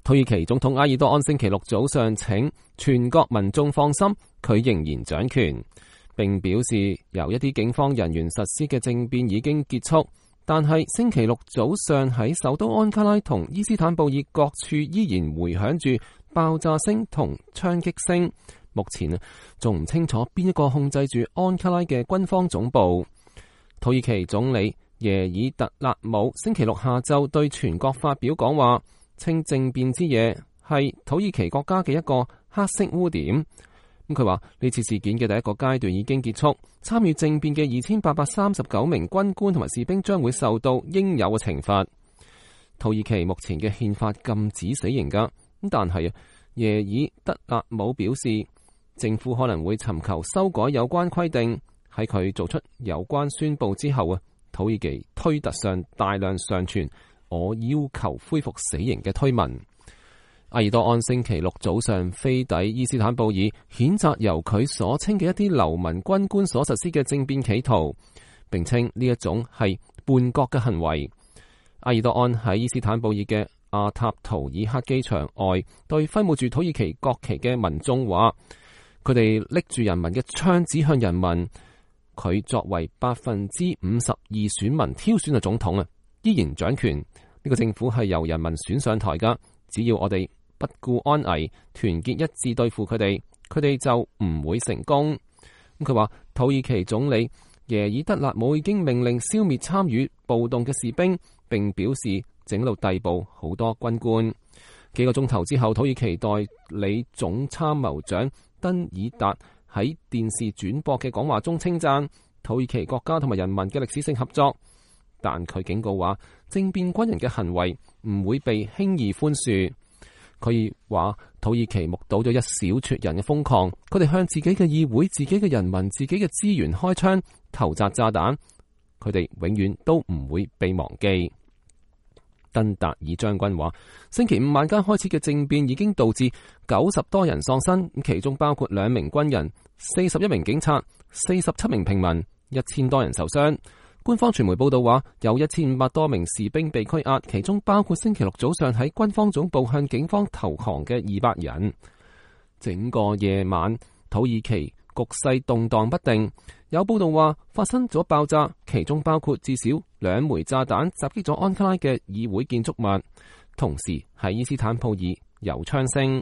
土耳其總統埃爾多安星期六早上請全國民眾放心，佢仍然掌權，並表示由一啲警方人員實施嘅政變已經結束。但係星期六早上喺首都安卡拉同伊斯坦布爾各處依然回響住爆炸聲同槍擊聲。目前仲唔清楚邊一個控制住安卡拉嘅軍方總部。土耳其總理耶爾特勒姆星期六下晝對全國發表講話，稱政變之夜係土耳其國家嘅一個黑色污點。佢話呢次事件嘅第一個階段已經結束，參與政變嘅2839名軍官同埋士兵將會受到應有嘅懲罰。土耳其目前嘅憲法禁止死刑噶，但係耶爾德勒姆表示，政府可能會尋求修改有關規定。喺佢做出有關宣布之後土耳其推特上大量上傳我要求恢復死刑嘅推文。埃爾多安星期六早上飛抵伊斯坦布爾，譴責由佢所稱嘅一啲流氓軍官所實施嘅政變企圖，並稱呢一種係叛國嘅行為。埃爾多安喺伊斯坦布爾嘅阿塔圖爾克機場外對揮舞住土耳其國旗嘅民眾話，佢哋拎住人民嘅槍指向人民。佢作為52%選民挑選嘅總統依然掌權。呢個政府係由人民選上台噶，只要我哋不顧安危，團結一致對付佢哋就唔會成功。佢話土耳其總理耶爾德勒姆已經命令消滅參與暴動嘅士兵，並表示整到逮捕好多軍官。幾個鐘頭之後，土耳其代理總參謀長登爾達喺電視轉播嘅講話中稱讚土耳其國家同埋人民嘅歷史性合作，但佢警告話政變軍人嘅行為唔會被輕易寬恕。佢話土耳其目睹咗一小撮人嘅瘋狂，佢哋向自己嘅議會、自己嘅人民、自己嘅資源開槍、投擲炸彈，佢哋永遠都唔會被忘記。登達爾將軍話，星期五晚間開始嘅政變已經導致90多人喪生，其中包括2名軍人、41名警察、47名平民、1000多人受傷。官方傳媒報道話，有1500多名士兵被拘押，其中包括星期六早上喺軍方總部向警方投降嘅200人。整個夜晚，土耳其局勢動盪不定，有報道話發生咗爆炸，其中包括至少2枚炸彈襲擊咗安卡拉嘅議會建築物，同時喺伊斯坦布爾有槍聲。